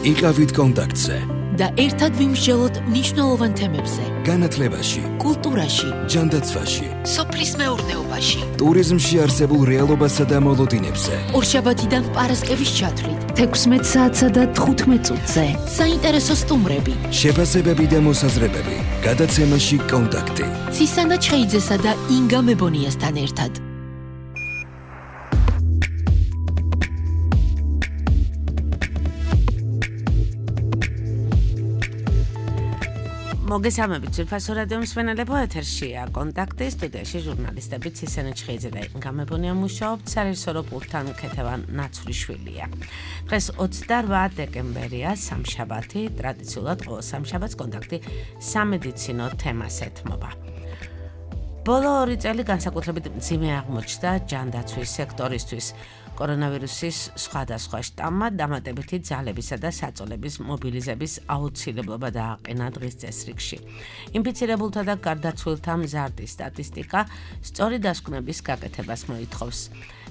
იყავით კონტაქტზე და ერთად ვიმსჯელოთ მნიშვნელოვან თემებზე. განათლებაში, კულტურაში, ჯანდაცვაში, სოფლის მეურნეობაში, ტურიზმში არსებულ რეალობასა და მოლოდინებზე. ორშაბათიდან პარასკევის ჩათვლით 16 საათსა და 15 წუთზე. საინტერესო სტუმრები, შეფასებები და მოსაზრებები. გადაცემაში კონტაქტი. ცისანა ჩხეიძესა და ინგა მებონიასთან ერთად. მოგესალმებით ძვირფასო რადიო მსმენელებო, ეთერშია კონტაქტი, სტუდიაში ჟურნალისტები ცისანა ჩხეიძე და ინგა მებონია მუშაობთ, საერთო პულტთან ქეთევან ნაცვლიშვილია. დღეს 28 დეკემბერია, სამშაბათი, ტრადიციულად ყოველ სამშაბათს კონტაქტი სამედიცინო თემას ეთმობა. ბოლო 2 წელი განსაკუთრებით მძიმე აღმოჩნდა ჯანდაცვის სექტორისთვის. კორონავირუსის სხვადასხვა შტამმა დამატებითი ძალებისა და საწოლების მობილიზების აუცილებლობა დააყენა დღის წესრიგში. ინფიცირებულთა და გარდაცვლილთა მზარდი სტატისტიკა სწორი დასკვნების გაკეთებას მოითხოვს.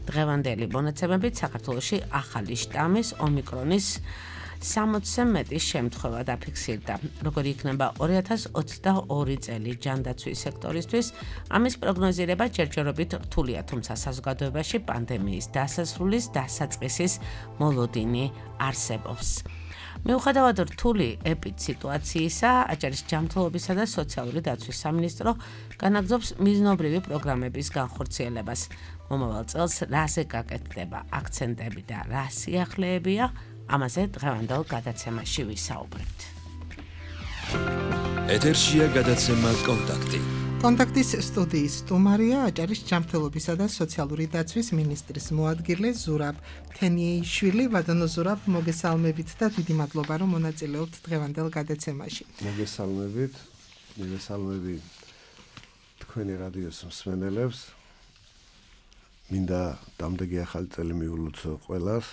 დღევანდელი მონაცემებით საქართველოში ახალი შტამის ომიკრონის 60-ზე მეტი შემთხვევა დაფიქსირდა. როგორი იქნება 2022 წელი ჯანდაცვის სექტორისთვის, ამის პროგნოზირება ჯერჯერობით რთულია, თუმცა საზოგადოებაში პანდემიის დასასრულის დასაწყისის მოლოდინი არსებობს. მიუხედავად რთული ეპიდსიტუაციისა, აჭარის ჯანმრთელობისა და სოციალური დაცვის სამინისტრო განაგრძობს მიზნობრივი პროგრამების განხორციელებას. მომავალ წელს რაზე გაკეთდება აქცენტები და რა სიახლეებია, ამაზე დღევანდელ გადაცემაში ვისაუბრებთ. ეთერშია გადაცემა კონტაქტი. კონტაქტის სტუდიის სტუმარია აჭარის ჯანმრთელობისა და სოციალური დაცვის მინისტრის მოადგილე ზურაბ თენიეიშვილი. ვადანო ზურაბ, მოგესალმებით და დიდი მადლობა, რომ მონაწილეობთ დღევანდელ გადაცემაში. მოგესალმებით თქვენი რადიოს მსმენელებს. მინდა დამდეგი ახალი წელი მიულოცო ყველას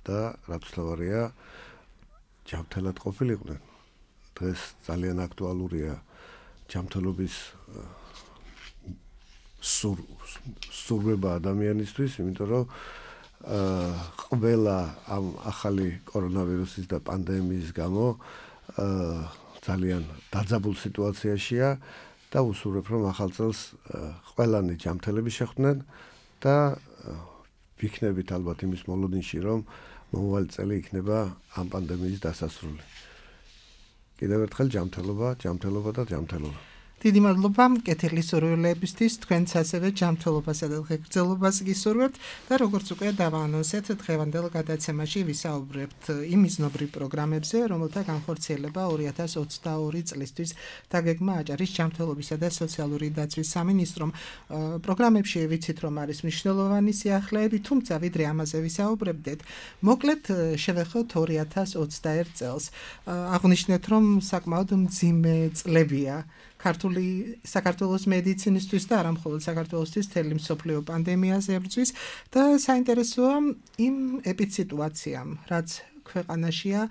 და რაც თავარია ჯანმრთელად ყოფილიყვნენ. დღეს ძალიან აქტუალურია ჯანმრთელობის სურვება ადამიანისთვის, იმიტომ რომ ყველა ამ ახალი კორონავირუსის და პანდემიის გამო ძალიან დაძაბულ სიტუაციაშია და უსურვებ, რომ ახალ წელს ყველანი ჯანმრთელები შეხვდნენ და ვიქნებით ალბათ იმის მოლოდინში, რომ მომავალი წელი იქნება ამ პანდემიის დასასრული. კიდევ ერთხელ ჯანმრთელობა და ჯანმრთელობა. დიდი მადლობა მკეთილი სურვილეებისთვის, თქვენც ასევე ჯანმრთელობასა და ღირსებას გისურვებთ და როგორც უკვე დავაანონსეთ, დღევანდელ გადაცემაში ვისაუბრებთ იმ მიზნობრივ პროგრამებზე, რომელთა განხორციელება 2022 წლისთვის დაგეგმა აჭარის ჯანმრთელობისა და სოციალური დაცვის სამინისტრომ. პროგრამებში ვიცით, რომ არის მნიშვნელოვანი სიახლეები, თუმცა ვიდრე ამაზე ვისაუბრებდეთ, მოკლედ შევეხოთ 2021 წელს. აღვნიშნეთ, რომ საკმაოდ მძიმე წლებია საქართველოს მედიცინისთვის და არა მხოლოდ საქართველოსთვის, მთელი მსოფლიო პანდემიაზე ებრძვის და საინტერესოა იმ ეპიდსიტუაციამ, რაც ქვეყანაშია,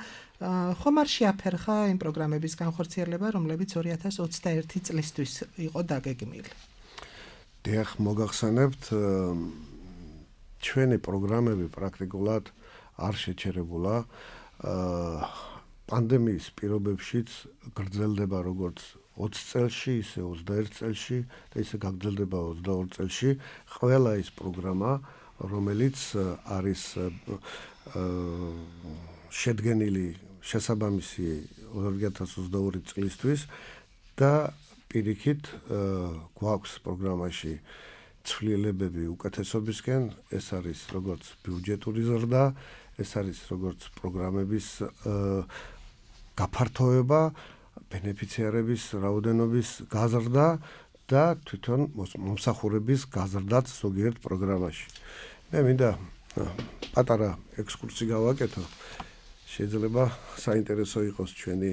ხომ არ შეაფერხა იმ პროგრამების განხორციელება, რომლებიც 2021 წლისთვის იყო დაგეგმილი. დიახ, მოგახსენებთ, ჩვენი პროგრამები პრაქტიკულად არ შეჩერებულა. პანდემიის პირობებშიც გრძელდება როგორც 20 წელში, ისე 21 წელში და ისე გაგრძელდება 22 წელში ყველა ის პროგრამა, რომელიც არის შედგენილი შესაბამისი 2022 წლისთვის და პირიქით გვაქვს პროგრამაში ცვლილებები უკეთესობისკენ, ეს არის როგორც ბიუჯეტური ზრდა, ეს არის როგორც პროგრამების გაფართოება, ბენეფიციარების რაოდენობის გაზრდა და თვითონ მომსახურების გაზრდაც ზოგიერთ პროგრამაში. მე მინდა პატარა ექსკურსი გავაკეთო. შეიძლება საინტერესო იყოს ჩვენი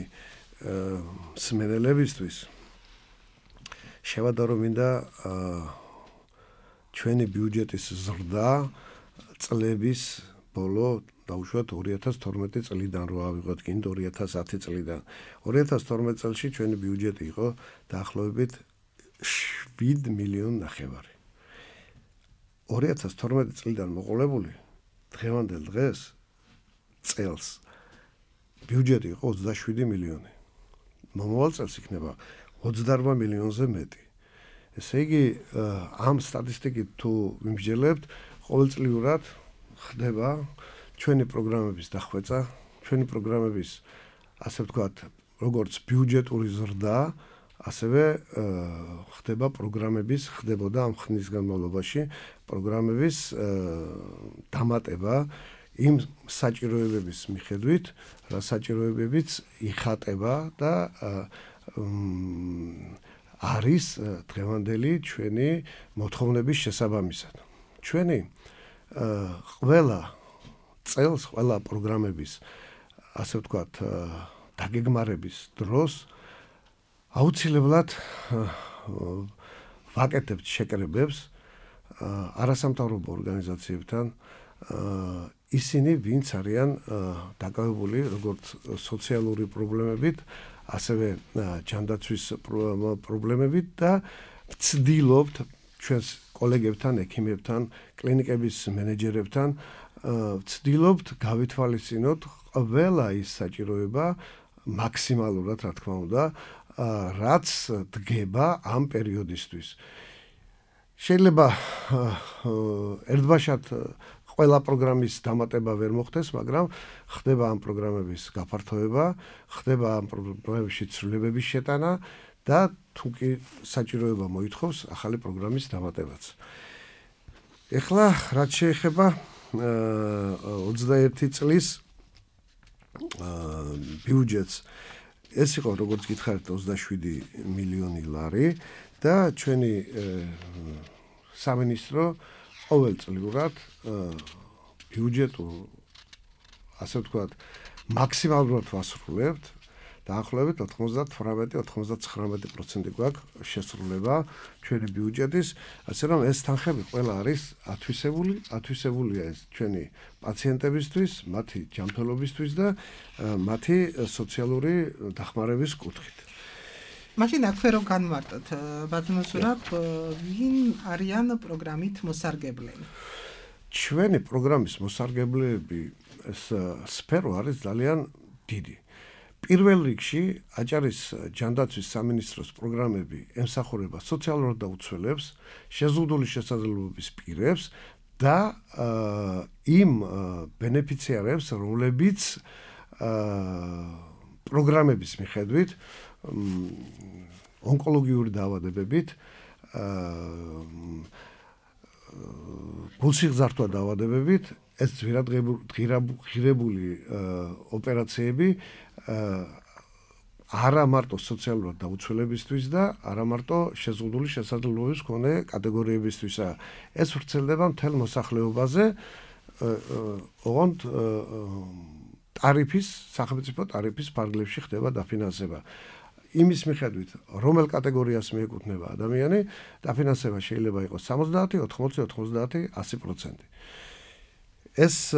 მსმენელებისთვის. შევადარო მინდა ჩვენი ბიუჯეტის ზრდა წლების ბოლო დაუშვათ 2012 წლიდან რო ავიღოთ კიდე 2010 წლიდან. 2012 წელს ჩვენი ბიუჯეტი იყო დაახლოებით 7 მილიონი ნახევარი. 2012 წლიდან მოყოლებული დღევანდელ დღეს წელს ბიუჯეტი იყო 27 მილიონი. მომავალ წელს იქნება 28 მილიონზე მეტი. ესე იგი, ამ სტატისტიკით თუ ვიმსჯელებთ, ყოველწლიურად ხდება ჩვენი პროგრამების დახვეწა, ჩვენი პროგრამების, ასე ვთქვათ, როგორც ბიუჯეტური ზრდა, ასევე ხდებოდა ამ ხნის განმავლობაში პროგრამების დამატება იმ საჭიროებების მიხედვით, რა საჭიროებებიც იხატება და არის დღევანდელი ჩვენი მოთხოვნების შესაბამისად. ჩვენი ყველა წელს, ყველა პროგრამების, ასე ვთქვათ, დაგეგმარების დროს აუცილებლად ვაკეთებთ შეკრებებს არასამთავრობო ორგანიზაციებთან, ისინი ვინც არიან დაკავებული როგორც სოციალური პრობლემებით, ასევე ჯანდაცვის პრობლემებით და ვცდილობთ ჩვენს კოლეგებთან, ექიმებთან, კლინიკების მენეჯერებთან ვცდილობთ გავითვალისწინოთ ყველა ის საჭიროება მაქსიმალურად, რა თქმა უნდა, რაც დგება ამ პერიოდისთვის. შეიძლება ერთბაშად ყველა პროგრამის დამატება ვერ მოხდეს, მაგრამ ხდება ამ პროგრამების გაფართოება, ხდება ამ პროგრამებში ცვლილებების შეტანა და თუ კი საჭიროება მოითხოვს ახალი პროგრამის დამატებაც. ეხლა რაც შეეხება 21 წლის ბიუჯეტს, ეს იყო როგორც გითხარით 27 მილიონი ლარი და ჩვენი სამინისტრო ყოველწლიურად ბიუჯეტურ, ასე ვთქვათ, მაქსიმალურად ვასრულებთ, დაახლოებით 98-99% გვაქვს შესრულება ჩვენი ბიუჯეტის, ასე რომ ეს თანხები ყველა არის ათვისებულია ეს ჩვენი პაციენტებისთვის, მათი ჯანმრთელობისთვის და მათი სოციალური დახმარების კუთხით. მაშინ აქვე რომ განმარტოთ, ბატონო ზურაბ, ვინ არიან პროგრამით მოსარგებლები? ჩვენი პროგრამის მოსარგებლეები ეს სფერო არის ძალიან დიდი. პირველ რიგში აჭარის ჯანდაცვის სამინისტროს პროგრამები ემსახურება სოციალურად დაუცველებს, შეზღუდული შესაძლებლობების პირებს და იმ ბენეფიციარებს, რომლებიც პროგრამების მიხედვით ონკოლოგიური დაავადებებით, გულსიღზართვა დაავადებებით, ეს ღირებული ოპერაციები არა მარტო სოციალურად დაუცველებისთვის და არა მარტო შეზღუდული შესაძლებლობების მქონე კატეგორიებისთვისა. ეს ვრცელდება მთელ მოსახლეობაზე, ოღონდ სახელმწიფო ტარიფის ფარგლებში ხდება დაფინანსება. იმის მიხედვით, რომელ კატეგორიას მიეკუთვნება ადამიანი, დაფინანსება შეიძლება იყოს 70, 80, 90, 100%. ეს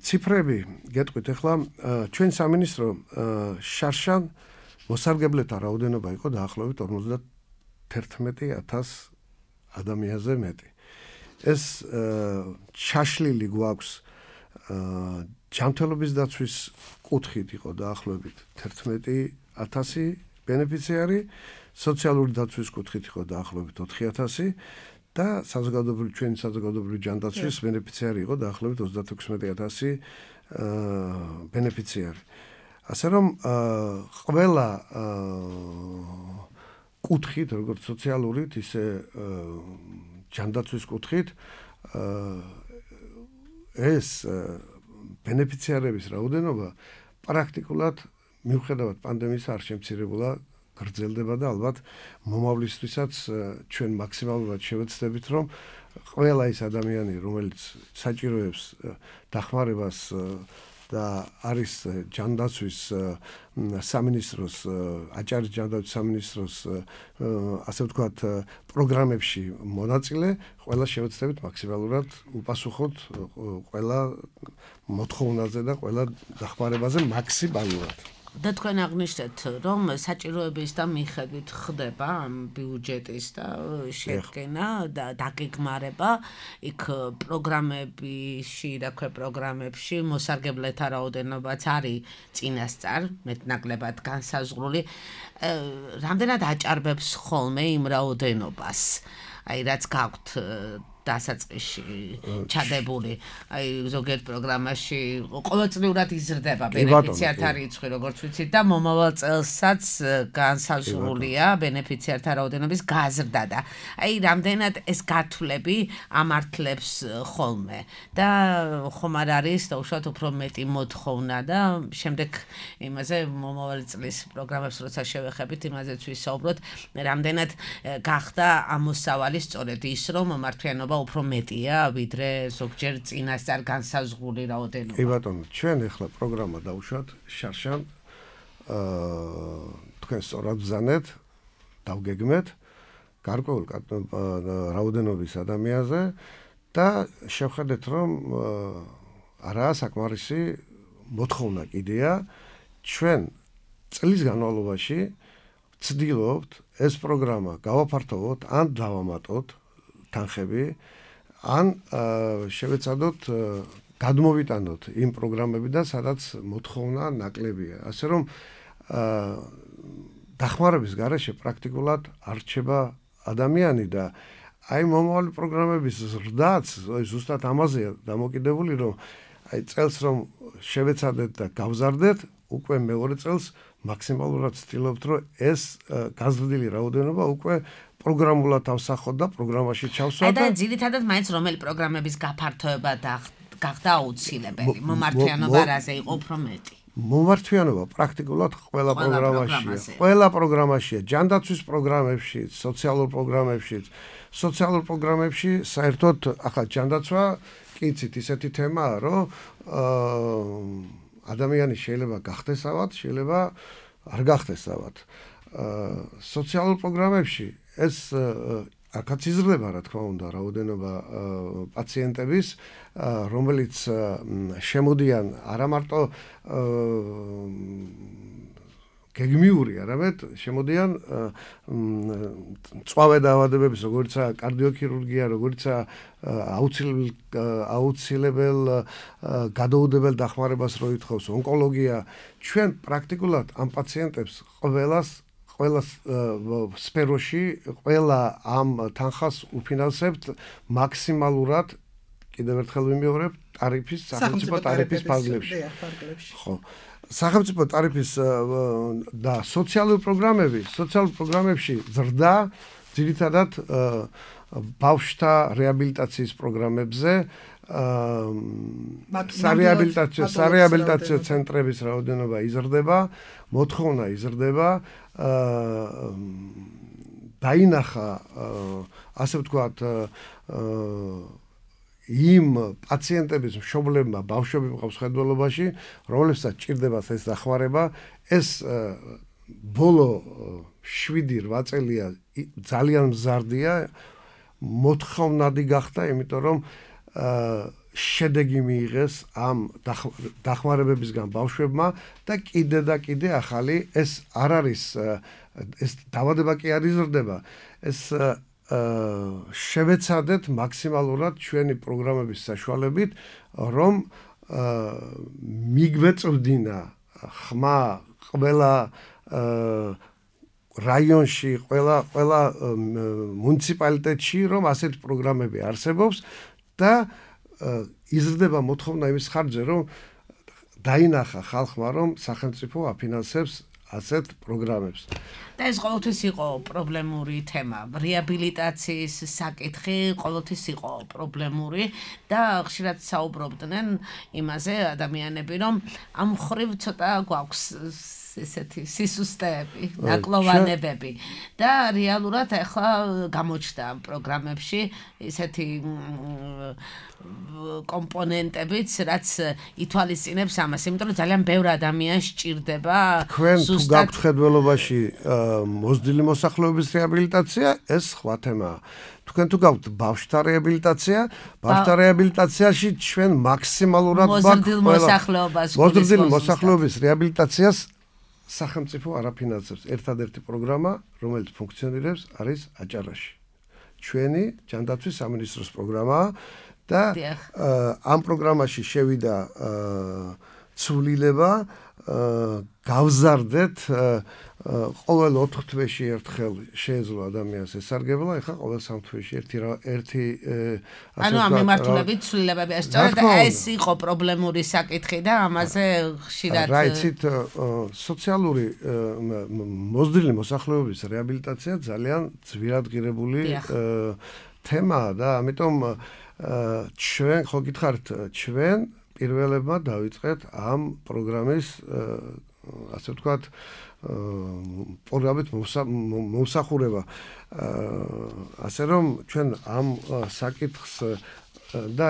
ციფრები გეტყვით ახლა ჩვენ სამინისტრო შარშან მოსარგებლეთა რაოდენობა იყო დაახლოებით 51,000 ადამიანზე მეტი. ეს ჩაშლილი გვაქვს ჯანმრთელობის დაცვის კუთხით იყო დაახლოებით 11,000 ბენეფიციარი, სოციალური დაცვის კუთხით იყო დაახლოებით 4,000 და ჩვენი საზოგადოებრივი ჯანდაცვის ბენეფიციარი იყო დაახლოებით 36,000 ბენეფიციარი. ასე რომ ყველა კუთხით, როგორც სოციალურით, ისე ჯანდაცვის კუთხით ეს ბენეფიციარების რაოდენობა პრაქტიკულად მიუხედავად პანდემიის არ შემცირებულა, გრძელდება და ალბათ მომავლისთვისაც ჩვენ მაქსიმალურად შევეცდებით, რომ ყველა ის ადამიანი, რომელიც საჭიროებს დახმარებას და არის ჯანდაცვის სამინისტროს, აჭარის ჯანდაცვის სამინისტროს, ასე ვთქვათ, პროგრამებში მონაწილე, ყველა შევეცდებით მაქსიმალურად უპასუხოთ ყველა მოთხოვნაზე და ყველა დახმარებაზე მაქსიმალურად. და თქვენ აღნიშნეთ, რომ საჭიროების და მიხედვით ხდება ბიუჯეტის და შედგენა და დაგეგმარება იქ პროგრამებში, პროგრამებში მოსარგებლეთა რაოდენობაც არის წინასწარ, მეტნაკლებად განსაზღვრული. რამდენად აჭარბებს ხოლმე იმ რაოდენობას? აი რაც გაქვთ დასაწყისში ჩადებული, აი ზოგიერთ პროგრამაში ყოველწლიურად იზრდება ბენეფიციართა რიცხვი, როგორც ვიცით და მომავალ წელსაც განსაზღვრულია ბენეფიციართა რაოდენობის გაზრდა და აი რამდენად ეს გათვლები ამართლებს ხოლმე და ხომ არ არის უშუალოდ უფრო მეტი მოთხოვნა და შემდეგ იმაზე მომავალი წლის პროგრამებს როცა შევეხებით იმაზეც ვისაუბროთ, რამდენად გახდა ამოსავალი სწორედ ის რომ მართლიანობა უფრო მეტია ვიდრე ზოგჯერ წინასწარ განსაზღვრული რაოდენობა. კი ბატონო, ჩვენ ახლა პროგრამა დავუშვათ შარშან თქვენ სწორად ბრძანეთ, დავგეგმეთ გარკვეულ რაოდენობის ადამიანზე და შევხედეთ რომ არაა საკმარისი მოთხოვნა კიდეა ჩვენ წლის განმავლობაში ვცდილობთ ეს პროგრამა გავაფართოვოთ ან დავამატოთ თანხები ან შევეცადოთ გადმოვიტანოთ იმ პროგრამებიდან, სადაც მოთხოვნა ნაკლებია. ასე რომ დახმარების გარეშე პრაქტიკულად არ რჩება ადამიანი და აი მომავალი პროგრამების ზრდაც ზუსტად ამაზეა დამოკიდებული, რომ აი წელს რომ შევეცადეთ და გავზარდეთ, უკვე მეორე წელს მაქსიმალურად ვცდილობთ, რომ ეს გაზრდილი რაოდენობა უკვე პროგრამულად ავსახოთ და პროგრამაში ჩავსვათ და ძირითადად მაინც რომელი პროგრამების გაფართოება გახდა აუცილებელი, მომართვიანობა რაზე იყო უფრო მეტი? მომართვიანობა პრაქტიკულად ყველა პროგრამაშია. ყველა პროგრამაშია, ჯანდაცვის პროგრამებში, სოციალურ პროგრამებში. სოციალურ პროგრამებში საერთოდ ახლა ჯანდაცვა კიცით ისეთი თემაა, რომ ადამიანი შეიძლება გახდეს ავად, შეიძლება არ გახდეს ავად. სოციალურ პროგრამებში ეს აქაც იზრდება, რა თქმა უნდა, რაოდენობა პაციენტების, რომელიც შემოდიან არა მარტო გეგმიური, არამედ შემოდიან მწვავე დაავადებების, როგორიცაა კარდიოქირურგია, როგორიცაა აუცილებელ გადაუდებელ დახმარებას რო ითხოვს ონკოლოგია, ჩვენ პრაქტიკულად ამ პაციენტებს ყველა სფეროში, ყველა ამ თანხას უფინანსებთ მაქსიმალურად, კიდევ ერთხელ ვიმეორებ, ტარიფის, სახელმწიფო ტარიფის ფარგლებში. ხო. სახელმწიფო ტარიფის და სოციალური პროგრამებში ზრდა ძირითადად ბავშვთა რეაბილიტაციის პროგრამებზე, სარეაბილიტაციო ცენტრების რაოდენობა იზრდება, მოთხოვნა იზრდება, დაინახა, ასე ვთქვათ, იმ პაციენტების მშობლებმა, ბავშვები მყავს ხედველობაში, რომლებსაც ჭირდებათ ეს დახმარება, ეს ბოლო 7-8 წელია ძალიან მზარდია, მოთხოვნადი გახდა, იმიტომ რომ შედეგი მიიღეს ამ დახმარებებისგან ბავშვებმა და კიდე ახალი ეს არ არის, ეს დაავადება კი არ იზრდება, ეს შევეცადეთ მაქსიმალურად ჩვენი პროგრამების საშუალებით, რომ მიგვეწვდინა ხმა ყველა რაიონში, ყველა მუნიციპალიტეტში, რომ ასეთი პროგრამები არსებობს და იზრდება მოთხოვნა იმის ხარჯზე, რომ დაინახა ხალხმა, რომ სახელმწიფო აფინანსებს ასეთ პროგრამებს. და ეს ყოველთვის იყო პრობლემური თემა. რეაბილიტაციის საკითხი ყოველთვის იყო პრობლემური და ხშირად საუბრობდნენ იმაზე ადამიანები, რომ ამ ხრივ ცოტა გვაქვს ესეთი სისუსტეები, ნაკლოვანებები და რეალურად ახლა გამოჩნდა პროგრამებში ისეთი კომპონენტებიც, რაც ითვალისწინებს ამას, იმიტომ რომ ძალიან ბევრი ადამიანს სჭირდება თქვენ თუ გაქვთ ხედველობაში მოზრდილი მოსახლეობის რეაბილიტაცია, ეს სხვა თემაა. თქვენ თუ გაქვთ ბავშვთა რეაბილიტაცია, ბავშვთა რეაბილიტაციაში ჩვენ მაქსიმალურად მოზრდილ მოსახლეობას რეაბილიტაციას სახელმწიფო არაფინანსებს. ერთადერთი პროგრამა, რომელიც ფუნქციონირებს, არის აჭარაში. ჩვენი ჯანდაცვის სამინისტროს პროგრამაა და ამ პროგრამაში შევიდა ცვლილება გავზარდეთ ყოველ 4 თვეში ერთხელ შეეძლო ადამიანს ესარგებლა, ეხლა ყოველ 3 თვეში ერთი ანუ ამ მიმართულებით ცვლილებები სწორედ ეს იყო პრობლემური საკითხი და ამაზე ხშირად რა იცით სოციალური მოზრდილი მოსახლეობის რეაბილიტაცია ძალიან ძვირადღირებული თემაა და ამიტომ ჩვენ ხო გითხართ ჩვენ პირველებმა დავიწყეთ ამ პროგრამის ასე ვთქვათ პროგრამით მომსახურება ასე რომ ჩვენ ამ საკითხს და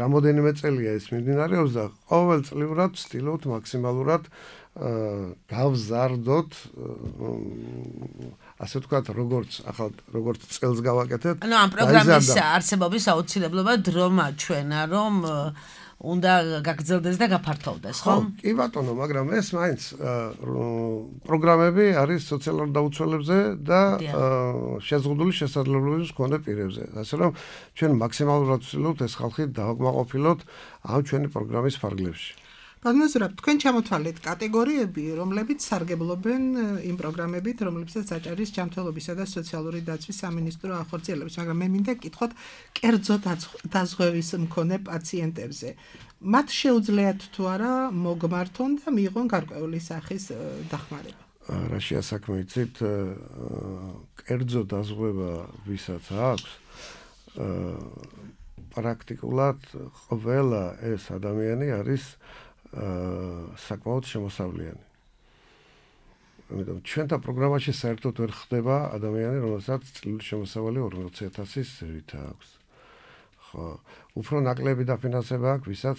რამოდენიმე წელია ეს მიმდინარეობს და ყოველწლიურად ვცდილობთ მაქსიმალურად გავზარდოთ ასე ვთქვათ როგორც წელს გავაკეთეთ ანუ ამ პროგრამის არსებობის აუცილებლობა დრო მაჩვენა რომ უნდა გაგრძელდეს და გაფართოვდეს, ხო? კი ბატონო, მაგრამ ეს მაინც პროგრამები არის სოციალურ დაუცველებზე და შეზღუდული შესაძლებლობების მქონე პირებზე. ასე რომ ჩვენ მაქსიმალურად ვცდილობთ ეს ხალხი დავაკმაყოფილოთ ამ ჩვენი პროგრამის ფარგლებში. განმეორებთ, თქვენ ჩამოთვალეთ კატეგორიები, რომლებიც სარგებლობენ იმ პროგრამებით, რომლებსაც აჭარის ჯანმრთელობისა და სოციალური დაცვის სამინისტრო ახორციელებს, მაგრამ მე მინდა გკითხოთ კერძო დაზღვევის მქონე პაციენტებზე. მათ შეუძლიათ თუ არა მოგმართონ და მიიღონ გარკვეული სახის დახმარება. რაშია საქმე იცით, კერძო დაზღვევა ვისაც აქვს, პრაქტიკულად ყველა ეს ადამიანი არის საკმაოდ შემოსავლიანი. ამიტომ ჩვენთან პროგრამაში საერთოდ ვერ ხდება ადამიანი, რომელსაც წლიური შემოსავალი 40,000-ის ზევით აქვს. ხო, უფრო ნაკლები დაფინანსება აქვს, ვისაც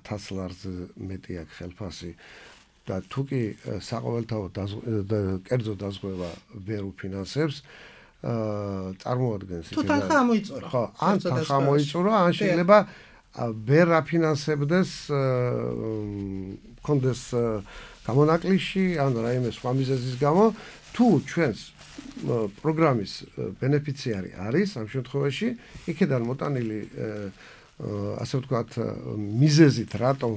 1000 ლარზე მეტი აქვს ხელფასი და თუ კი საყოველთაოდ კერძო დაზღვევა ვერ უფინანსებს, წარმოადგენს თუ თანხა ამოიწურა. ხო, ან თანხა ამოიწურა, ან შეიძლება ვერ აფინანსებდეს კონდეს გამონაკლისში ან რაიმე სხვა მიზეზის გამო თუ ჩვენს პროგრამის ბენეფიციარი არის ამ შემთხვევაში იქიდან მოტანილი ასე ვთქვათ მიზეზით რატომ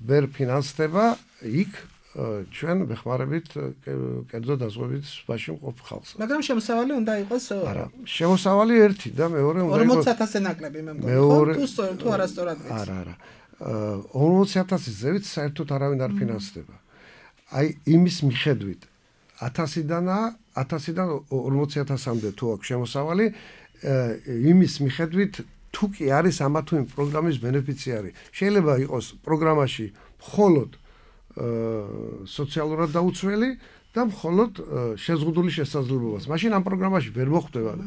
ვერ ფინანსდება იქ ჩვენ ვეხმარებით კერძო დაზღვევით სვაში მყოფ ხალხს. მაგრამ შემოსავალი უნდა იყოს არა, შემოსავალი ერთი და მეორე უნდა იყოს 40,000-ზე ნაკლები მე მგონი. თუ არასწორად ვიცი. არა. 40,000-ის ზევით საერთოდ არავინ არ ფინანსდება. აი იმის მიხედვით 1000-დან 40,000-მდე თუ აქვს შემოსავალი, იმის მიხედვით თუ კი არის ამა თუ იმ პროგრამის ბენეფიციარი. შეიძლება იყოს პროგრამაში მხოლოდ სოციალურად დაუცველი და მხოლოდ შეზღუდული შესაძლებლობას. მაშინ ამ პროგრამაში ვერ მოხვდება და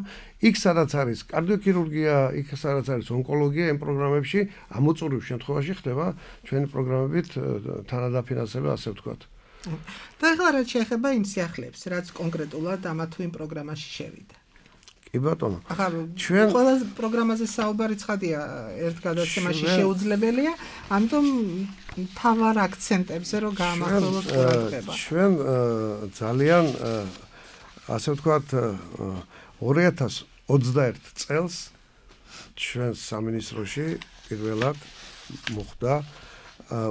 იქ სადაც არის კარდიოქირურგია, იქ სადაც არის ონკოლოგია, იმ პროგრამებში ამოწურვის შემთხვევაში ხდება ჩვენი პროგრამებით თანადაფინანსება, ასე ვთქვათ. და ახლა რაც შეეხება იმ სიახლეებს, რაც კონკრეტულად ამა თუ იმ პროგრამაში შევიდა. კი ბატონო. ახლა ჩვენ ყველა პროგრამაზე საუბარი ცხადია, ერთ გადაცემაში შეუძლებელია, ამიტომ თავარ აქცენტებზე რომ გაამახვილოთ ყურადღება. ჩვენ ძალიან ასე ვთქვათ 2021 წელს ჩვენ სამინისტროში პირველად მოხდა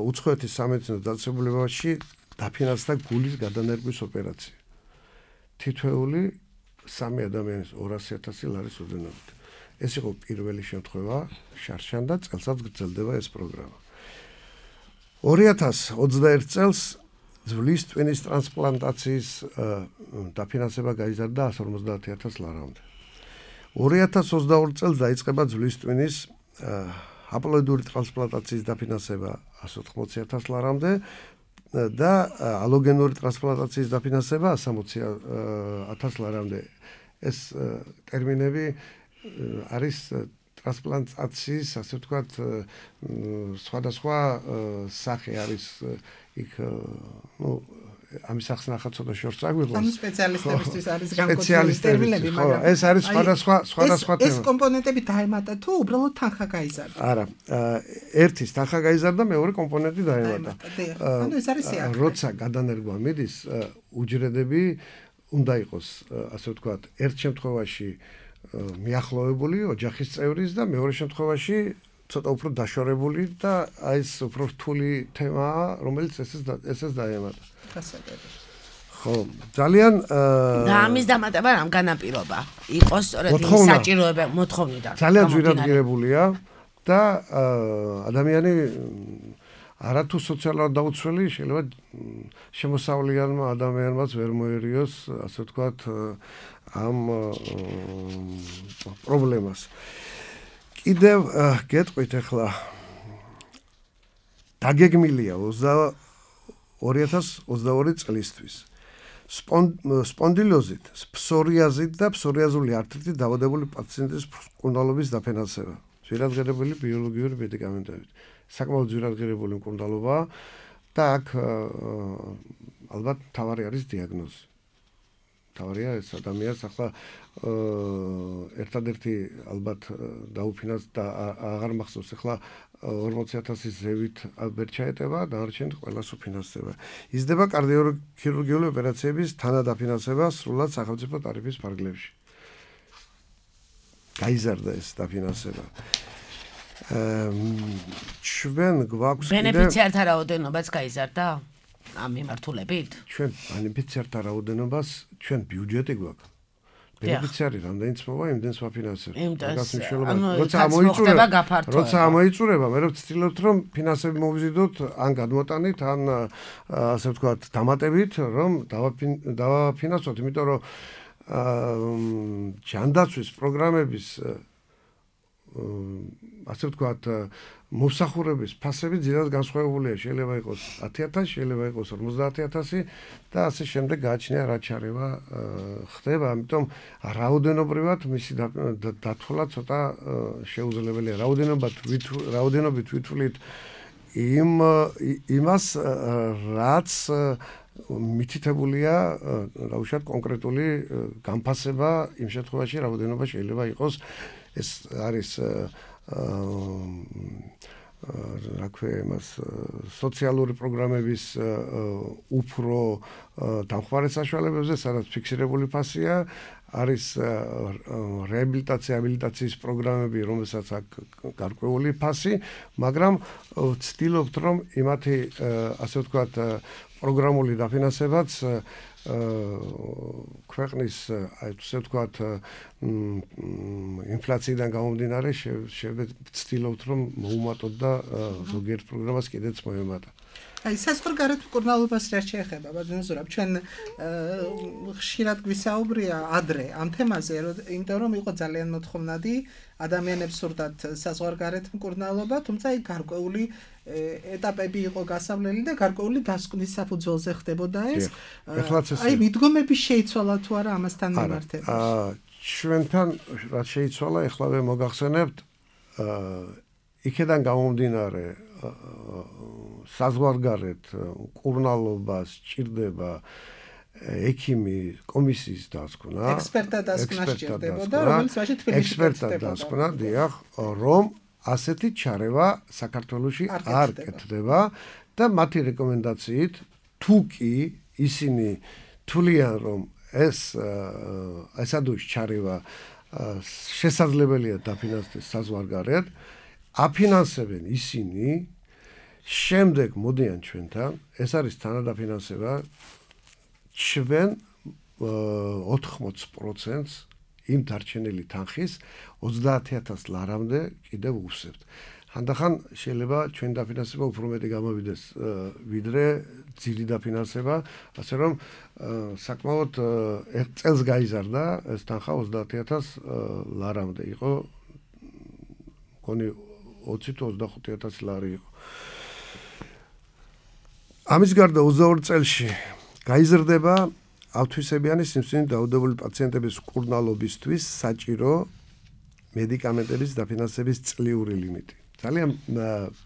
უცხოეთის სამედიცინო დაწესებულებაში დაფინანსდა გულის გადანერგვის ოპერაცია. თითოეული 3 ადამიანის 200,000 ლარის ოდენობით. ეს იყო პირველი შემთხვევა შარშან და წელსაც გრძელდება ეს პროგრამა. 2021 წელს ძვლის ტვინის ტრანსპლანტაციის დაფინანსება გაიზარდა 150,000 ლარამდე. 2022 წელს დაიწყება ძვლის ტვინის აპლოიდური ტრანსპლანტაციის დაფინანსება 180,000 ლარამდე და ალოგენური ტრანსპლანტაციის დაფინანსება 160,000 ლარამდე. ეს ტერმინები არის ტრანსპლანტაციის, ასე ვთქვათ, სხვადასხვა სახე არის იქ, ამის ახსნახა ცოტა შორს აგვიღოს. ანუ სპეციალისტებისთვის არის განკუთვნილი ტერმინები, მაგრამ ეს არის სხვადასხვა ეს კომპონენტები დაემატა თუ უბრალოდ თანხა გაიზარდა? არა, ერთის თანხა გაიზარდა, მეორე კომპონენტი დაემატა. ანუ ეს არის სიახლე. როცა გადანერგვა მიდის, უჯრედები უნდა იყოს, ასე ვთქვათ, ერთ შემთხვევაში მიახლოვებული ოჯახის წევრის და მეორე შემთხვევაში ცოტა უფრო დაშორებული და აი ეს უფრო რთული თემაა, რომელიც ესეც დაემატა. ხო, ძალიან და ამის დამატება რამ განაპირობა? იყოს სწორედ საჭიროება მოთხოვნიდან. ძალიან ძვირადღირებულია და ადამიანი არათუ სოციალურად დაუცველი შეიძლება შემოსავლიანმა ადამიანმაც ვერ მოერიოს, ასე ვთქვათ, ამ პრობლემას. კიდევ გეტყვით ახლა დაგეგმილია 2022 წლისთვის სპონდილოზით, ფსორიაზით და ფსორიაზული ართრიტით დაავადებული პაციენტის მკურნალობის დაფინანსება. ძვირადღირებული ბიოლოგიური მედიკამენტებით. საკმაოდ ძვირადღირებული მკურნალობაა და აქ ალბათ თავარი არის დიაგნოზი. თავარია ეს ადამიანს ახლა ერთადერთი ალბათ დაუფინანსდა და აღარ მახსოვს ახლა 40,000-ის ზევით ვერ ჩაეტება, დანარჩენი ყველას უფინანსდება. იზრდება კარდიოქირურგიული ოპერაციების თანადაფინანსება სრულად სახელმწიფო ტარიფის ფარგლებში. გაიზარდა ეს დაფინანსება. ჩვენ გვაქვს ბენეფიციართა რაოდენობაც გაიზარდა ამ მიმართულებით? ჩვენ ბენეფიციართა რაოდენობას ჩვენ ბიუჯეტი გვაქვს. ბენეფიციარი რამდენიც მოვა, იმდენს ვაფინანსებთ. როცა ამოიწურება, მე ვცდილობთ რომ ფინანსები მოვიზიდოთ ან გადმოტანით, ან ასე ვთქვათ, დამატებით, რომ დავაფინანსოთ, იმიტომ რომ ჯანდაცვის პროგრამების ასე ვთქვათ, მოსახურების ფასები ძირას განსხვავებულია, შეიძლება იყოს 10,000, შეიძლება იყოს 50,000 და ასე შემდეგ გააჩნია რა ჩარევა ხდება, ამიტომ რაოდენობრივად მისი დათვლა ცოტა შეუძლებელია. რაოდენობით ვითვლით იმას, რაც მითითებულია, რა უშავთ, კონკრეტული განფასება იმ შემთხვევაში რაოდენობა შეიძლება იყოს ეს არის რა ქვია იმას სოციალური პროგრამების უფრო დამხმარე საშუალებებზე, სადაც ფიქსირებული ფასია, არის რეაბილიტაცია, აბილიტაციის პროგრამები, რომელსაც აქვს გარკვეული ფასი, მაგრამ ვცდილობთ რომ იმათი ასე ვთქვათ პროგრამული დაფინანსებაც ქვეყნის ასე ვთქვათ ინფლაციიდან გამომდინარე ვცდილობთ რომ მოუმატოთ და ზოგიერთ პროგრამას კიდეც მოემატა. აი საზღვარგარეთ მკურნალობას რა შეეხება, ბატონო, ჩვენ ხშირად გვისაუბრია ადრე ამ თემაზე, იმიტომ რომ იყო ძალიან მოთხოვნადი ადამიანებს სურდათ საზღვარგარეთ მკურნალობა, თუმცა აი გარკვეული ეტაპები იყო გასავლელი და გარკვეული დასკვნის საფუძველზე ხდებოდა ეს. აი მიდგომები შეიცვალა თუ არა ამასთან მიმართებით? ჩვენთან რაც შეიცვალა, ეხლავე მოგახსენებთ, იქედან გამომდინარე საზღვარგარეთ მკურნალობას ჭირდება ექიმი კომისიის დასკვნა, ექსპერტთა დასკვნა სჭირდებოდა, რომელიც მაშინ თბილისში დასკვნა, დიახ, რომ ასეთი ჩარევა საქართველოში არ კეთდება და მათი რეკომენდაციით თუ კი ისინი თვლიან რომ ესადუში ჩარევა შესაძლებელია დაფინანსდეს საზღვარგარეთ, აფინანსებენ ისინი, შემდეგ მოდიან ჩვენთან, ეს არის თანადაფინანსება, ჩვენ 80%-ს იმ დარჩენილი თანხის 30,000 ლარამდე კიდევ ვუსებთ. ხანდახან შეიძლება ჩვენი დაფინანსება უფრო მეტი გამოვიდეს ვიდრე ძირი დაფინანსება, ასე რომ საკმაოდ წელს გაიზარდა ეს თანხა 30,000 ლარამდე იყო, მგონი 20 თუ 25,000 ლარი იყო. ამის გარდა 22 წელში გაიზრდება ავთვისებიანი სიმსივნით დაავადებული პაციენტების მკურნალობისთვის საჭირო მედიკამენტების დაფინანსების წლიური ლიმიტი. ძალიან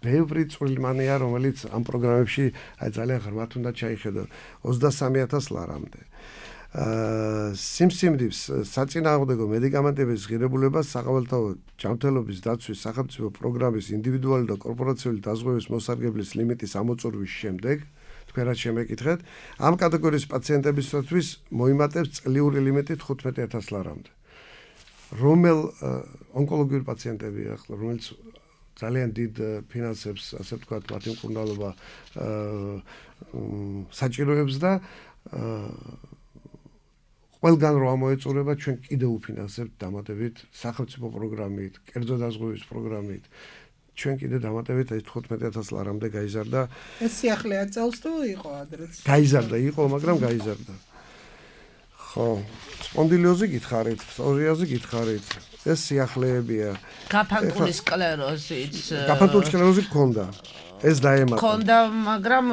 ბევრი წვრილმანია, რომელიც ამ პროგრამებში აი ძალიან ღრმად უნდა ჩაიხედო 23,000 ლარამდე. სიმსიმდივს საწინააღმდეგო მედიკამენტების ღირებულება საყოველთაო ჯანმრთელობის დაცვის სახელმწიფო პროგრამის ინდივიდუალური და კორპორაციული დაზღვევის მოსარგებლის ლიმიტის ამოწურვის შემდეგ თქვენ რაც შემეკითხეთ, ამ კატეგორიის პაციენტებისათვის მოიმატებს წლიური ლიმიტი 15,000 ლარამდე. რომელ ონკოლოგიური პაციენტები ახლა რომელიც ძალიან დიდ ფინანსებს, ასე ვთქვათ, მათი მკურნალობა საჭიროებს და ყველგან რო ამოეწურება ჩვენ კიდევ უფინანსებთ დამატებით სახელმწიფო პროგრამით, კერძო დაზღვევის პროგრამით. ჩვენ კიდე დამატებით ეს 15,000 ლარამდე გაიზარდა. ეს სიახლეა წელს თუ იყო ადრეც? გაიზარდა, იყო, მაგრამ გაიზარდა. ხო, სპონდილიოზი გითხარით, პსორიაზი გითხარით. ეს სიახლეებია. გაფანტული სკლეროზიც. გაფანტული სკლეროზი გქონდა. ეს დაემატა. გქონდა, მაგრამ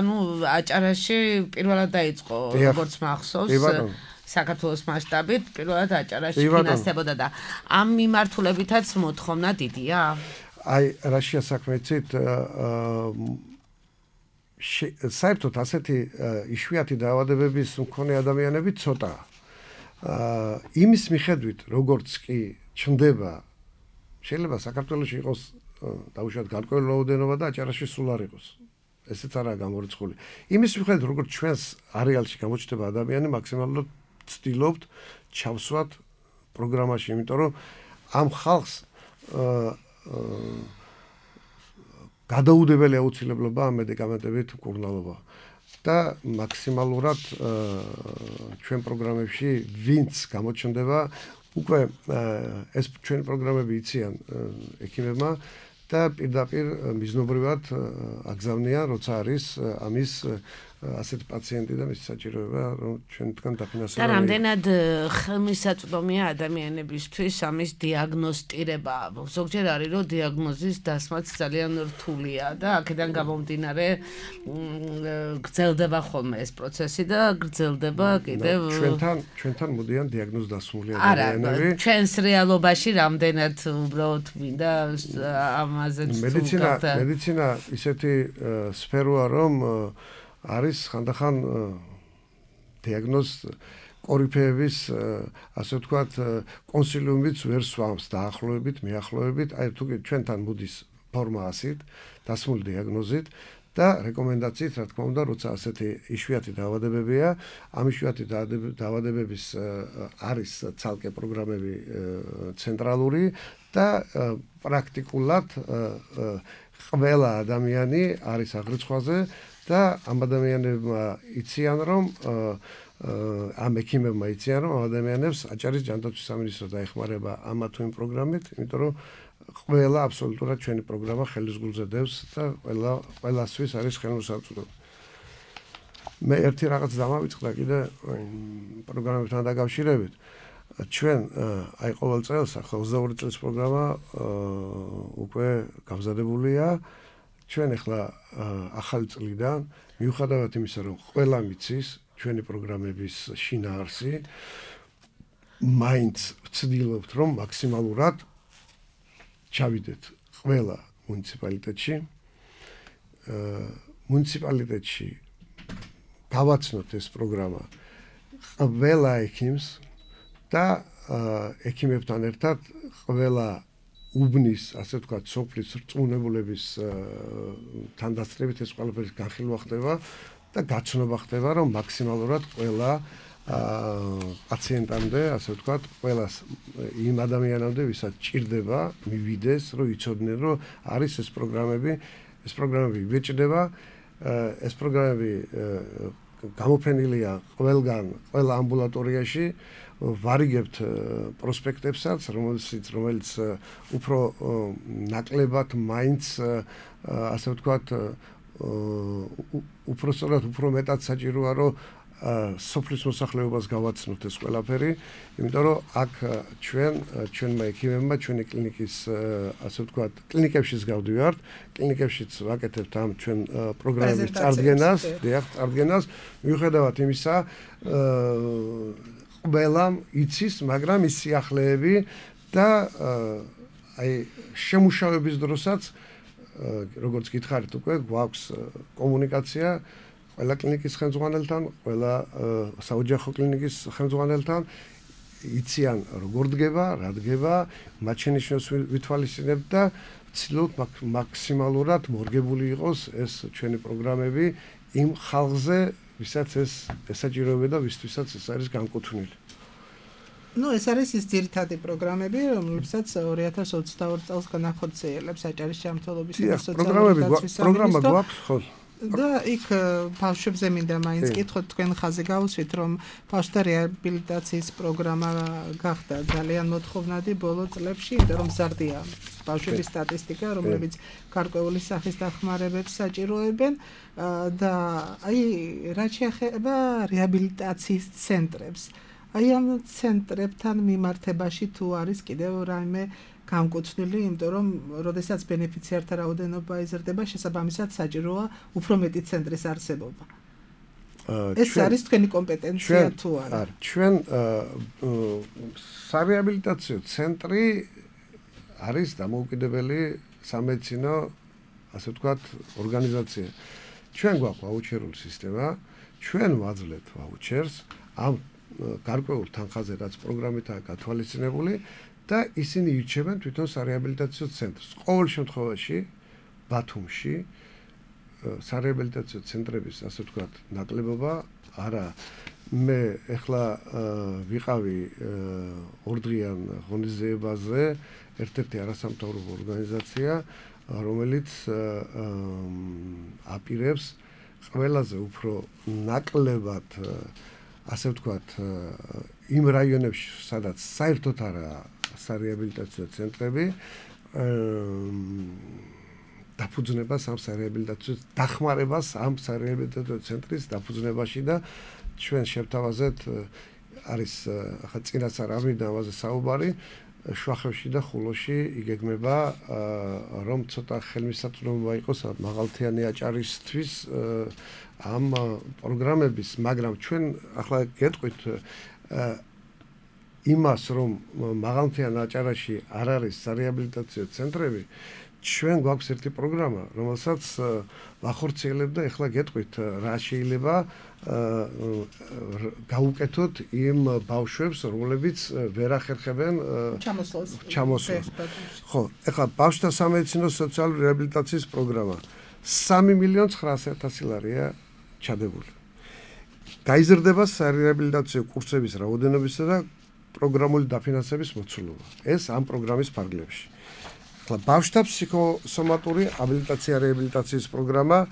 ანუ აჭარაში პირველად დაიწყო, როგორც მახსოვს. საქართველოს მასშტაბით პირველად აჭარაში ფინანსდებოდა და ამ მიმართულებითაც მოთხოვნა დიდია? აი, რაშია საქმე იცით, საერთოდ ასეთი იშვიათი დაავადებების მქონე ადამიანები ცოტაა. იმის მიხედვით, როგორც კი ჩნდება, შეიძლება საქართველოში იყოს დაუშვათ გარკვეული რაოდენობა და აჭარაში სულ არ იყოს. ესეც არაა გამორიცხული. იმის მიხედვით, როგორც ჩვენს არეალში გამოჩნდება ადამიანი, მაქსიმალურად ვცდილობთ ჩავსვათ პროგრამაში, იმიტომ რომ ამ ხალხს გადაუდებელი აუცილებლობა ამ მედიკამენტებით მკურნალობა და მაქსიმალურად ჩვენ პროგრამებში ვინც გამოჩნდება, უკვე ეს ჩვენი პროგრამები იციან ექიმებმა და პირდაპირ მიზნობრივად აგზავნიან, როცა არის ამის ასეთი პაციენტი და მის საჭიროება, რომ ჩვენთან დაფინანსება. და რამდენად ხელმისაწვდომია ადამიანებისთვის ამის დიაგნოსტირება? ზოგჯერ არის, რომ დიაგნოზის დასმაც ძალიან რთულია და აქედან გამომდინარე გრძელდება ხოლმე ეს პროცესი და გრძელდება კიდევ ჩვენთან მოდიან დიაგნოზ დასმული ადამიანები. არა, ჩვენს რეალობაში რამდენად უბრალოდ მინდა ამაზე მედიცინა ისეთი სფეროა, რომ არის ხანდახან დიაგნოზ კორიფეების, ასე ვთქვათ, კონსილიუმიც ვერ სვამს დაახლოებით, მიახლოებით, აი თუ ჩვენთან მოდის ფორმა ასით, დასმული დიაგნოზით და რეკომენდაციით, რა თქმა უნდა, როცა ასეთი იშვიათი დაავადებებია, ამ იშვიათი დაავადებების არის ცალკე პროგრამები ცენტრალური და პრაქტიკულად ყველა ადამიანი არის აღრიცხვაზე და ამ ადამიანებმა იციან, რომ ამ ექიმებმა იციან, რომ ადამიანებს აჭარის ჯანდაცვის სამინისტრო დაეხმარება ამა თუ იმ პროგრამით, იმიტომ რომ ყველა აბსოლუტურად ჩვენი პროგრამა ხელის გულზე დევს და ყველასთვის არის ხელმისაწვდომი. მე ერთი რაღაც დამავიწყდა კიდე პროგრამებთან დაკავშირებით. ჩვენ აი ყოველ წელს 22 წლის პროგრამა უკვე გამზადებულია. ჩვენ ახლა ახალი წლიდან მიუხედავად იმისა, რომ ყველა მიცის ჩვენი პროგრამების შინაარსი, მაინც ვცდილობთ, რომ მაქსიმალურად ჩავიდეთ ყველა მუნიციპალიტეტში. მუნიციპალიტეტში გავაცნოთ ეს პროგრამა ყველა ექიმს და ექიმებთან ერთად ყველა უბნის, ასე ვთქვათ, სოფლის რწმუნებულების თანდასწრებით ეს ყველაფერი განხილვა ხდება და გაცნობა ხდება, რომ მაქსიმალურად ყველა პაციენტამდე, ასე ვთქვათ, ყველას იმ ადამიანამდე, ვისაც ჭირდება, მივიდეს, რომ იცოდნენ, რომ არის ეს პროგრამები იბეჭდება, ეს პროგრამები გამოფენილია ყველა ამბულატორიაში. ვარიგებთ პროსპექტებსაც, რომელიც უფრო ნაკლებად მაინც, ასე ვთქვათ, უფრო სწორად, უფრო მეტად საჭიროა, რომ სოფლის მოსახლეობას გავაცნოთ ეს ყველაფერი, იმიტომ რომ აქ ჩვენმა ექიმებმა ჩვენი კლინიკის, ასე ვთქვათ, კლინიკებშიც გავდივართ, კლინიკებშიც ვაკეთებთ ამ ჩვენ პროგრამების წარდგენას, მიუხედავად იმისა, ყველამ იცის, მაგრამ ის სიახლეები და აი შემუშავების დროსაც როგორც გითხარით უკვე გვაქვს კომუნიკაცია ყველა კლინიკის ხელმძღვანელთან, ყველა საოჯახო კლინიკის ხელმძღვანელთან იციან როგორ დგება, რა დგება, მათ შენიშვნებს ვითვალისწინებთ და ვცდილობთ მაქსიმალურად მორგებული იყოს ეს ჩვენი პროგრამები იმ ხალხზე, ვისაც ეს ესაჭიროება და ვისთვისაც ეს არის განკუთვნილი. ეს არის ის ძირითადი პროგრამები, რომლებსაც 2022 წელს განახორციელებს საჭირო ჯანმრთელობის და სოციალური დაცვის პროგრამა გვაქვს, ხო? და იქ ბავშვებზე მინდა მაინც კითხოთ, თქვენ ხაზი გავუსვით, რომ ბავშვთა რეაბილიტაციის პროგრამა გახდა ძალიან მოთხოვნადი ბოლო წლებში, იმიტომ რომ მზარდია ბავშვების სტატისტიკა, რომლებიც გარკვეული სახის დახმარებებს საჭიროებენ და აი რაც შეეხება რეაბილიტაციის ცენტრებს. აი ამ ცენტრებთან მიმართებაში თუ არის კიდევ რაიმე განკუთვნილი, იმიტომ რომ როდესაც ბენეფიციართა რაოდენობა იზრდება, შესაბამისად საჭიროა უფრო მეტი ცენტრის არსებობა. ეს არის თქვენი კომპეტენცია თუ არა? ჩვენ სარეაბილიტაციო ცენტრი არის დამოუკიდებელი სამედიცინო, ასე ვთქვათ, ორგანიზაცია. ჩვენ გვაქვს ვაუჩერული სისტემა, ჩვენ ვაძლევთ ვაუჩერს ამ გარკვეულ თანხაზე, რაც პროგრამითაა გათვალისწინებული და ისინი ირჩევენ თვითონ სარეაბილიტაციო ცენტრს. ყოველ შემთხვევაში ბათუმში სარეაბილიტაციო ცენტრების, ასე ვთქვათ, ნაკლებობა არა. მე ეხლა ვიყავი ორდღიან ღონისძიებაზე, ერთ-ერთი არასამთავრობო ორგანიზაცია, რომელიც აპირებს ყველაზე უფრო ნაკლებად, ასე ვთქვათ, იმ რაიონებში, სადაც საერთოდ არაა სარეაბილიტაციო ცენტრები, დაფუძნებას ამ სარეაბილიტაციო დახმარებას ამ სარეაბილიტაციო ცენტრის დაფუძნებაში და ჩვენ შევთავაზეთ არის ახლა წინაც არ ამიდა ამაზე საუბარი შვახევში და ხულოში იგეგმება რომ ცოტა ხელმისაწვდომობა იყოს მაღალთიანი აჭარისთვის ამ პროგრამების, მაგრამ ჩვენ ახლა გეტყვით იმას, რომ მაღალმთიან აჭარაში არ არის სარეაბილიტაციო ცენტრები, ჩვენ გვაქვს ერთი პროგრამა, რომელსაც ვახორციელებთ და ეხლა გეტყვით, რა შეიძლება გაუკეთოთ იმ ბავშვებს, რომლებიც ვერ ახერხებენ ჩამოსვლას. ხო, ეხლა ბავშვთა სამედიცინო სოციალური რეაბილიტაციის პროგრამა 3.900.000 ლარია ჩადებული. გაიზრდება სარეაბილიტაციო კურსების რაოდენობისა და პროგრამული დაფინანსების მოცულობა. ეს ამ პროგრამის ფარგლებში. ახლა ბავშვთა ფსიქოსომატური აბილიტაცია რეაბილიტაციის პროგრამა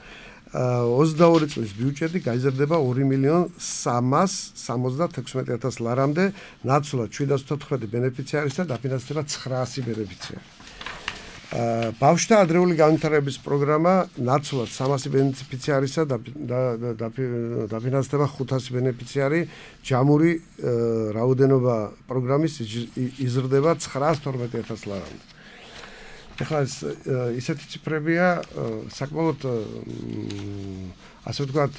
22 წლის ბიუჯეტი გაიზრდება 2.376.000 ლარამდე, ნაცვლად 714 ბენეფიციარის და დაფინანსდება 900 ბენეფიციარი. ბავშვთა ადრეული განვითარების პროგრამა ნაცვლად 300 ბენეფიციარისა და დაფინანსდება 500 ბენეფიციარი, ჯამური რაოდენობა პროგრამის იზრდება 912.000 ლარამდე. ეხლა ისეთი ციფრებია, საკმაოდ ასე ვთქვათ,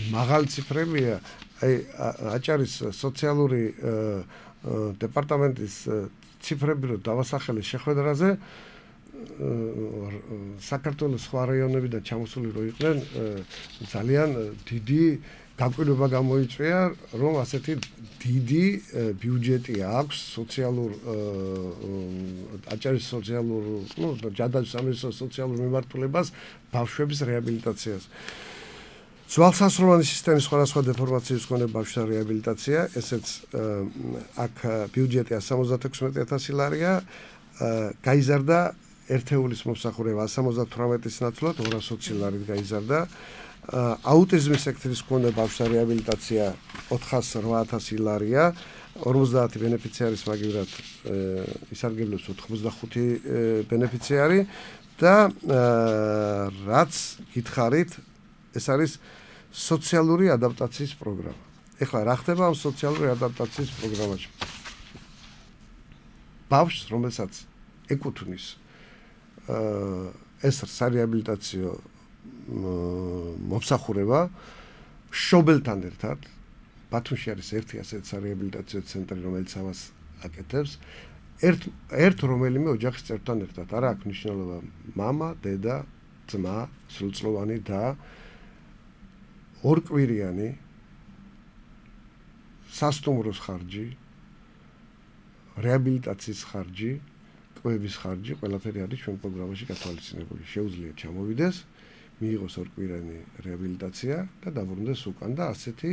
მაღალი ციფრებია, აი აჭარის სოციალური დეპარტამენტის ციფრები რო დავასახელე შეხვედრაზე, საქართველოს სხვა რაიონებიდან ჩამოსული რო იყვნენ, ძალიან დიდი გაკვირვება გამოიწვია, რომ ასეთი დიდი ბიუჯეტი აქვს სოციალურ აჭარის სოციალურ, ჯადაჩის სამინისტროს სოციალურ მიმართულებას ბავშვების რეაბილიტაციას. ძვალსასროლანი სისტემის სხვადასხვა დეფორმაციის მქონე ბავშვთა რეაბილიტაცია, ესეც აქ ბიუჯეტი 176.000 ლარია, გაიზარდა ერთეულის მომსახურება 178-ის ნაცვლად 220 ლარით გაიზარდა. აუტიზმის სექტორის მქონე ბავშვთა რეაბილიტაცია 408.000 ლარია, 50 ბენეფიციარის მაგივრად ისარგებლებს 85 ბენეფიციარი და რაც გითხარით, ეს არის სოციალური ადაპტაციის პროგრამა. ეხლა რა ხდება ამ სოციალური ადაპტაციის პროგრამაში? ბავშვს, რომელსაც ეკუთვნის ეს სარეაბილიტაციო მომსახურება შობელთან ერთად, ბათუმში არის ერთი ასეთი სარეაბილიტაციო ცენტრი, რომელიც ამას აკეთებს, ერთ რომელიმე ოჯახის წევრთან ერთად. არა აქვს მნიშვნელობა მამა, დედა, ძმა, სრულწლოვანი და ორკვირიანი სასტუმროს ხარჯი, რეაბილიტაციის ხარჯი, კვების ხარჯი, ყველაფერი არის ჩვენ პროგრამაში გათვალისწინებული. შეუძლია ჩამოვიდეს, მიიღოს ორკვირიანი რეაბილიტაცია და დაბრუნდეს უკან და ასეთი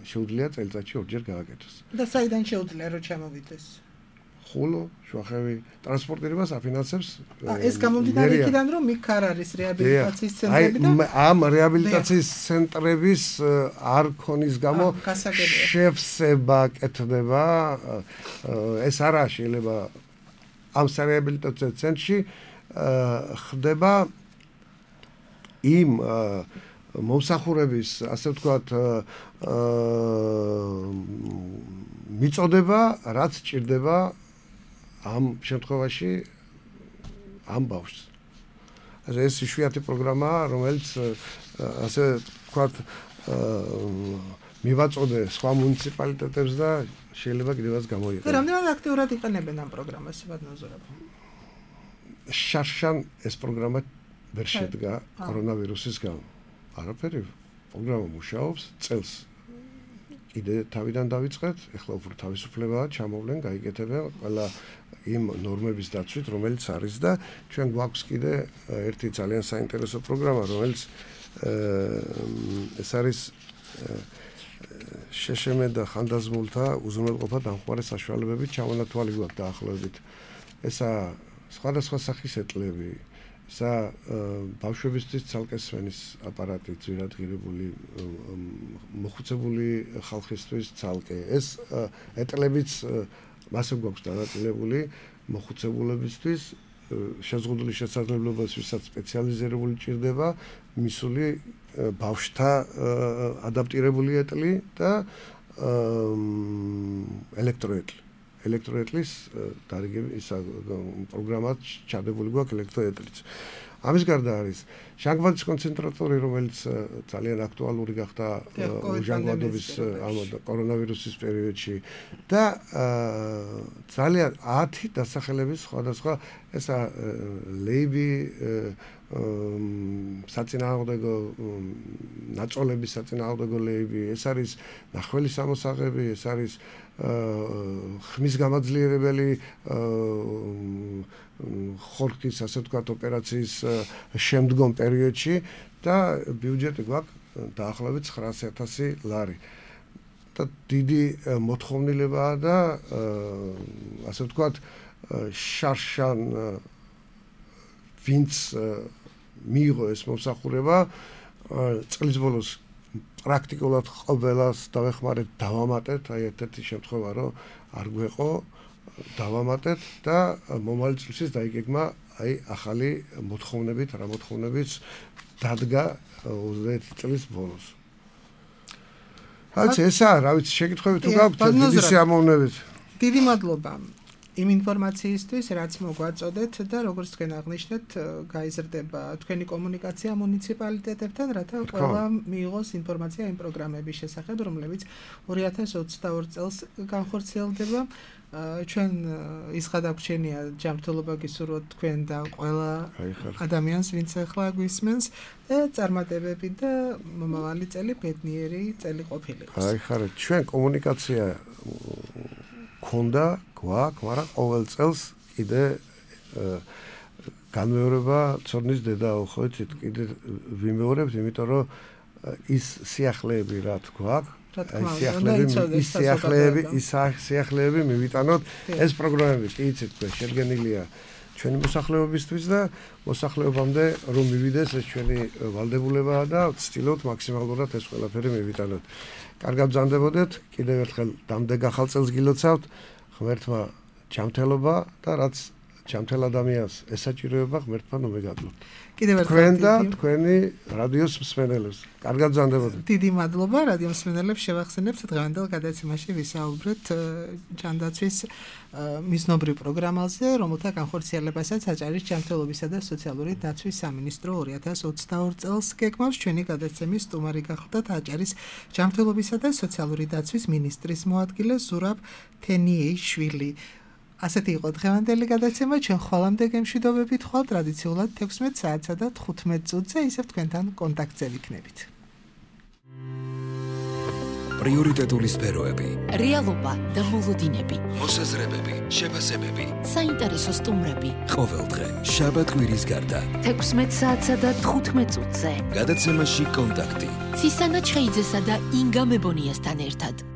შეუძლია წელიწადში ორჯერ გააკეთოს. და საიდან შეუძლია რომ ჩამოვიდეს? ხულო, შუახევი, ტრანსპორტირებას აფინანსებს. ეს გამომდინარე იქიდან რომ იქ არ არის რეაბილიტაციის ცენტრები და ამ რეაბილიტაციის ცენტრების არ ქონის გამო შევსება კეთდება. ეს არა შეიძლება ამ რეაბილიტაციო ცენტრში ხდება იმ მომსახურების, ასე ვთქვათ, მიწოდება, რაც ჭირდება ამ შემთხვევაში ამ ბავშვს. ეს იშვიათი პროგრამაა, რომელიც ასე ვთქვათ, მივაწოდე სხვა მუნიციპალიტეტებს და შეიძლება კიდევაც გამოიყენოს. რამდენად აქტიურად იყენებენ ამ პროგრამას, ბატონო? შარშან ეს პროგრამა ვერ შედგა კორონავირუსის გამო. არაფერი, პროგრამა მუშაობს, წელს კიდე თავიდან დავიწყეთ, ეხლა უფრო თავისუფლებაა, ჩამოვლენ, გაიკეთებენ ყველა იმ ნორმების დაცვით, რომელიც არის და ჩვენ გვაქვს კიდე ერთი ძალიან საინტერესო პროგრამა, რომელიც ეს არის შეშემე და ხანდაზმულთა უზრუნველყოფა დამხმარე საშუალებებით ჩამონათვალი გვაქვს დაახლოებით. ესა სხვადასხვა სახის ეტლები, ესა ბავშვებისთვის ცალკე სვენის აპარატი, ძვირადღირებული, მოხუცებული ხალხისთვის ცალკე. ეს ეტლებიც მასე გვაქვს დანაწილებული მოხუცებულებისთვის, შეზღუდული შესაძლებლობების ვისაც სპეციალიზირებული ჭირდება, მისული ბავშვთა ადაპტირებული ეტლი და ელექტროეტლი. ელექტროეტლის დარიგები ისა პროგრამად ჩადებული გვაქვს ელექტროეტლიც. ამის გარდა არის ჟანგბადის კონცენტრატორი, რომელიც ძალიან აქტუალური გახდა ჟანგბადობის კორონავირუსის პერიოდში და ძალიან 10 დასახელების სხვადასხვა ესა ლეიბი საწინააღმდეგო ნაწოლების საწინააღმდეგო ლეიბი, ეს არის ნახველი სამოსაღები, ეს არის ხმის გამაძლიერებელი ხორქის, ასე ვთქვათ, ოპერაციის შემდგომ პერიოდში და ბიუჯეტი გვაქვს დაახლოებით 900,000 ლარი. და დიდი მოთხოვნილებაა და ასე ვთქვათ, შარშან ვინც მიიღო ეს მომსახურება, წლის ბოლოს პრაქტიკულად ყველას დავეხმარეთ, დავამატეთ, აი ერთ-ერთი შემთხვევა რომ არ გვეყო, დავამატეთ და მომავალ წლისთვის დაიგეგმა აი ახალი მოთხოვნებით, რა მოთხოვნებიც დადგა 20 წლის ბოლოს. რაც ესაა, რა ვიცი, შეკითხვები თუ გაქვთ, დიდი სიამოვნებით. დიდი მადლობა იმ ინფორმაციისთვის, რაც მოგვაწოდეთ და როგორც თქვენ აღნიშნეთ, გაიზრდება თქვენი კომუნიკაცია მუნიციპალიტეტებთან, რათა ყველა მიიღოს ინფორმაცია იმ პროგრამების შესახებ, რომლებიც 2022 წელს განხორციელდება. ჩვენ ის გადაგვრჩენია ჯანმრთელობა გისურვოთ თქვენ და ყველა ადამიანს, ვინც ახლა გვისმენს და წარმატებები და მომავალი წელი ბედნიერი წელი ყოფილიყოს. აი ხარეთ, ჩვენ კომუნიკაცია ქონდა, გვაქვს, მაგრამ ყოველ წელს კიდე განმეორება ცოდნის დედაო, ხო იცით, კიდე ვიმეორებთ, იმიტომ რომ ის სიახლეები რა გვაქვს, სიახლეები მივიტანოთ. ეს პროგრამები კი იცით, შედგენილია ჩვენი მოსახლეობისთვის და მოსახლეობამდე რომ მივიდეს ეს ჩვენი ვალდებულებაა და ვცდილობთ მაქსიმალურად ეს ყველაფერი მივიტანოთ. კარგად ბრძანდებოდეთ, კიდევ ერთხელ დამდეგ ახალ წელს გილოცავთ, ღმერთმა ჯანმრთელობა და რაც ჯანმრთელ ადამიანს ესაჭიროება, ღმერთმა ნომეგადლოთ. კიდევ ერთხელ თქვენ და თქვენი რადიოს მსმენელებს. კარგად ბრძანდებოდეთ. დიდი მადლობა რადიო მსმენელებს, შევახსენებთ დღევანდელ გადაცემაში ვისაუბრეთ ჯანდაცვის მიზნობრივ პროგრამაზე, რომელთა განხორციელებასაც აჭარის ჯანმრთელობისა და სოციალური დაცვის სამინისტრო 2022 წელს გეგმავს. ჩვენი გადაცემის სტუმარი გახლდათ აჭარის ჯანმრთელობისა და სოციალური დაცვის მინისტრის მოადგილე ზურაბ თენიეიშვილი. ასეთი იყო დღევანდელი გადაცემა, ჩვენ ხვალამდე გემშვიდობებით ხვალ ტრადიციულად 16 საათსა და 15 წუთზე ისევ თქვენთან კონტაქტზე ვიქნებით. პრიორიტეტული სფეროები, რეალობა და მოლოდინები, მოსაზრებები, შეფასებები, საინტერესო სტუმრები. ყოველდღე, შაბათ-კვირის გარდა. 16 საათსა და 15 წუთზე. გადაცემაში კონტაქტი. ცისანა ჩხეიძესა და ინგა მებონიასთან ერთად.